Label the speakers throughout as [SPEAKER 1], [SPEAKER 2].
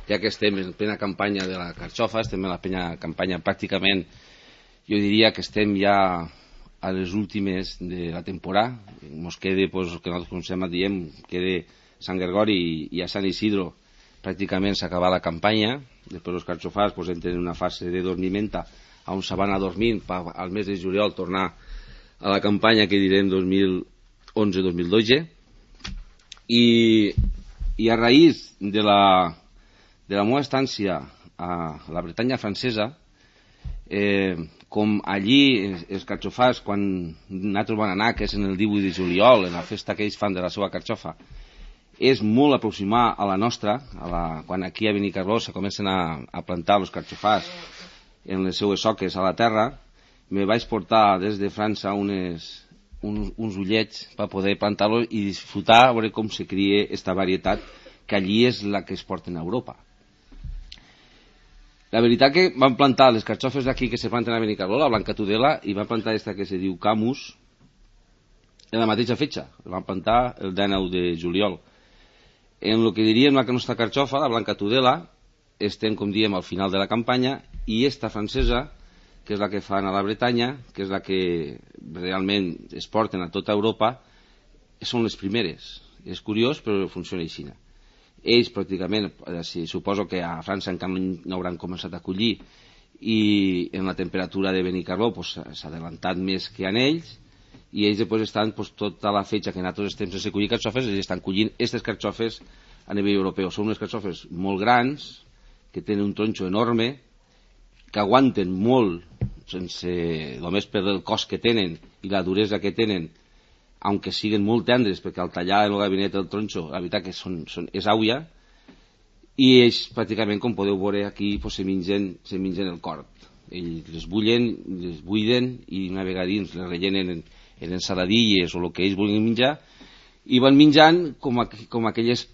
[SPEAKER 1] ja que estem en plena campanya de la carxofa, estem en la plena campanya pràcticament, jo diria que estem ja a les últimes de la temporada. Ens queda, pues, el que nosaltres coneixem, diem, queda Sant Gregori i a Sant Isidro pràcticament s'acaba la campanya. Després els carxofars pues, entren en una fase de dormiment on se van a dormir per al mes de juliol tornar a la campanya que direm 2011-2012 i a raïs de la meva estància a la Bretanya francesa, com allí els carxofars, quan nosaltres van anar, que és en el 18 de juliol, en la festa que ells fan de la seva carxofa, és molt aproximar a la nostra, quan aquí a Benicarló se comencen a plantar els carxofars en les seues soques a la terra. Me vaig portar des de França uns ullets per poder plantar-los i disfrutar a veure com se cria aquesta varietat, que allí és la que es porta a Europa. La veritat que van plantar les carxofes d'aquí que se planten a Benicarló, la Blanca Tudela, i van plantar aquesta que se diu Camus en la mateixa fetge. La van plantar el 19 de juliol. En el que diríem la nostra carxofa, la Blanca Tudela, estem, com diem, al final de la campanya, i esta francesa, que és la que fan a la Bretanya, que és la que realment es porten a tota Europa, són les primeres. És curiós, però funciona així. Ells pràcticament, suposo que a França encara no hauran començat a collir, i en la temperatura de Benicarló s'ha adelantat més que en ells, i ells després estan tota la fetge que nosaltres estem sense collir carxofes, ells estan collint aquestes carxofes a nivell europeu. Són unes carxofes molt grans, que tenen un tronxo enorme, que aguanten molt, només per el cos que tenen i la duresa que tenen, aunque siguen molt tendres, perquè al tallar en el gabinet el tronxo, la veritat que és auia, i ells pràcticament, com podeu veure aquí, se mengen el cort. Ells les bullen, les buiden, i una vegada dins les rellenen en ensaladilles o el que ells vulguin menjar, i van menjant com aquelles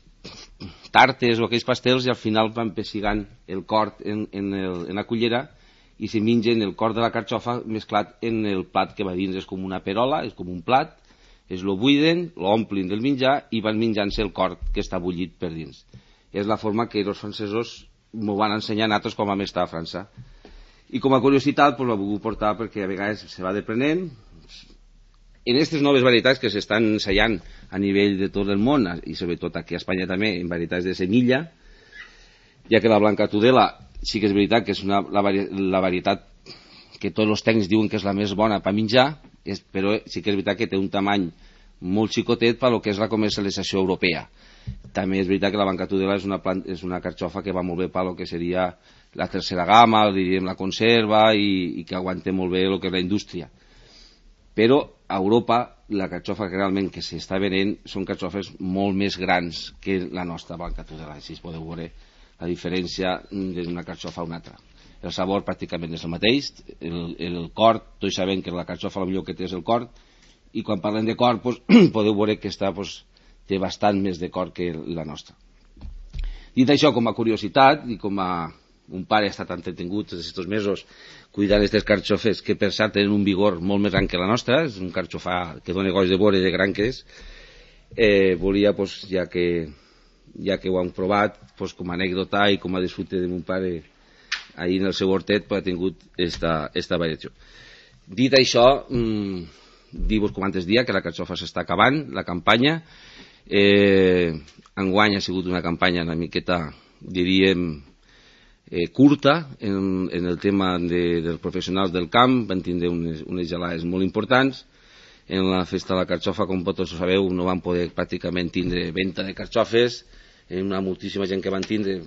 [SPEAKER 1] tartes o aquells pastels, i al final van pessigant el cort en la cullera i se mengen el cort de la carxofa mesclat en el plat que va dins. És com una perola, és com un plat, es lo buiden, lo omplin del menjar i van menjant-se el cort que està bullit per dins. És la forma que els francesos m'ho van ensenyar a nosaltres quan vam estar a França. I com a curiositat l'he volgut portar perquè a vegades se va deprenent. En aquestes noves varietats que s'estan ensaiant a nivell de tot el món, i sobretot aquí a Espanya també, en varietats de semilla, ja que la Blanca Tudela sí que és veritat que és la varietat que tots els tècnics diuen que és la més bona per menjar, però sí que és veritat que té un tamany molt xicotet per lo que és la comercialització europea. També és veritat que la Blanca Tudela és una carxofa que va molt bé per lo que seria la tercera gamma, diríem la conserva, i que aguanta molt bé el que és la indústria. Però a Europa la carxofa que realment que s'està venent són carxofes molt més grans que la nostra Blanca Tudela. Així podeu veure la diferència d'una carxofa a una altra. El sabor pràcticament és el mateix, el cort, tots sabem que la carxofa el millor que té és el cort, i quan parlem de cort podeu veure que té bastant més de cort que la nostra. Dit això, com a curiositat, i com a un pare ha estat entretingut aquests mesos cuidant aquestes carxofes, que per cert tenen un vigor molt més gran que la nostra, és un carxofà que dona goig de veure de gran que és, volia, ja que ho han provat, com a anècdota i com a disfrute de mon pare ahir en el seu hortet, ha tingut esta variació. Dit això, dir-vos com antes dia que la carxofa s'està acabant, la campanya. Enguany ha sigut una campanya una miqueta, diríem, curta en el tema dels professionals del camp. Van tindre unes gelades molt importants. En la festa de la carxofa, com tots ho sabeu, no van poder pràcticament tindre venda de carxofes. Una moltíssima gent que van tindre,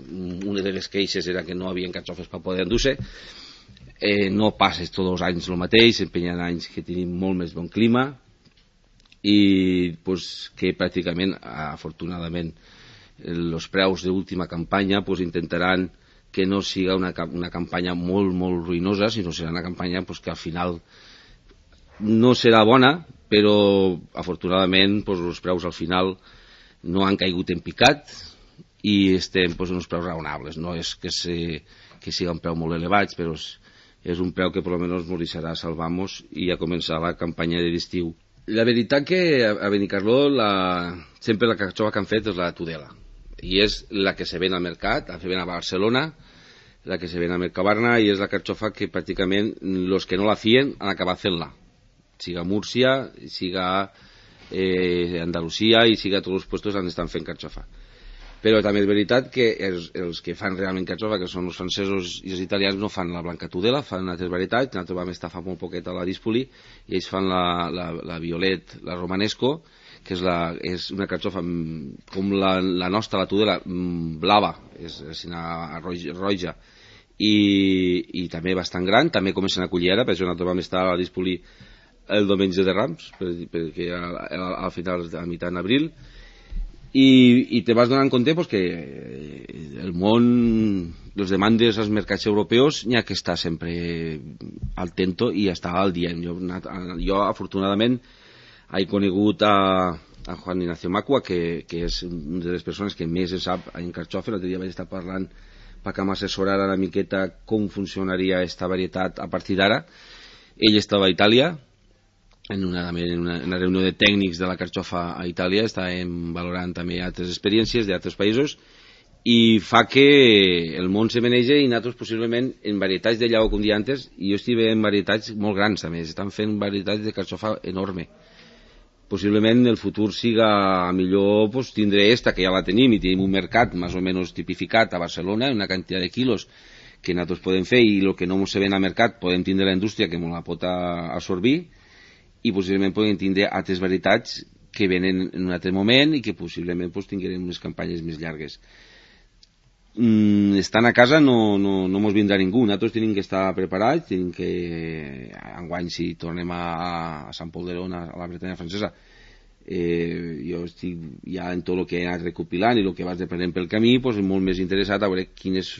[SPEAKER 1] una de les queixes era que no havien carxofes per poder endur-se. No passa tots els anys el mateix, sempre hi ha anys que tenim molt més bon clima, i que pràcticament, afortunadament, els preus d'última campanya intentaran que no siga una campanya molt, molt ruïnosa, sinó serà una campanya que al final no serà bona, però afortunadament els preus al final no han caigut en picat i estem en uns preus raonables. No és que siga un preu molt elevat, però és un preu que per almenys ens deixarà salvar-nos i a començar la campanya de l'estiu. La veritat que a Benicarló sempre la carxofa que han fet és la Tudela. i és la que se ven al mercat, la que se ven a Barcelona, la que se ven a Mercabarna, i és la carxofa que pràcticament els que no la fien han acabat fent-la, siga Múrcia, siga Andalusia i siga tots els puestos on estan fent carxofa. Però també és veritat que els que fan realment carxofa, que són els francesos i els italians, no fan la blanca tudela, fan altres varietats. Nosaltres vam estar fa molt poquet a la Dispoli i ells fan la violet, la romanesco, que és una carxofa com la nostra, la tudela, blava, és roja, i també bastant gran. També comencen a collir ara, per això nosaltres vam estar a la Dispoli el diumenge de Rams, perquè al final, a mitjà d'abril, i te vas donant compte pues, que el món, les demandes als mercats europeus n'hi ha que estar sempre al tanto i estar al dia. Jo afortunadament he conegut a Juan Ignacio Macua, que és una de les persones que més en sap en carxofa. L'altre dia vaig estar parlant perquè m'assessorara una miqueta com funcionaria aquesta varietat a partir d'ara. Ell estava a Itàlia en una reunió de tècnics de la carxofa a Itàlia, estàvem valorant també altres experiències d'altres països, i fa que el món se maneja, i nosaltres possiblement en varietats de llago, com dia antes, i jo estic en varietats molt grans també, estan fent varietats de carxofa enorme. Possiblement el futur siga millor pues, tindre esta, que ja la tenim, i tenim un mercat més o menys tipificat a Barcelona, una quantitat de quilos que nosaltres podem fer, i el que no se ven al mercat podem tindre la indústria que ens la pot absorbir, i possiblement podem tindre altres varietats que venen en un altre moment i que possiblement pues, tinguem unes campanyes més llargues. Estant a casa no mos vindrà ningú, nosaltres tenim que estar preparats, tenim que enguany si tornem a Sant Pol d'Arona, a la Bretanya francesa, jo estic ja en tot el que he anat recopilant i el que vas aprenent pel camí, pues, molt més interessat a veure quines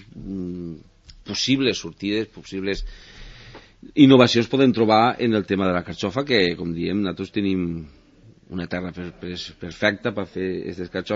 [SPEAKER 1] possibles sortides, possibles innovacions podem trobar en el tema de la carxofa, que com diem nosaltres tenim una terra perfecta per fer aquestes carxofes.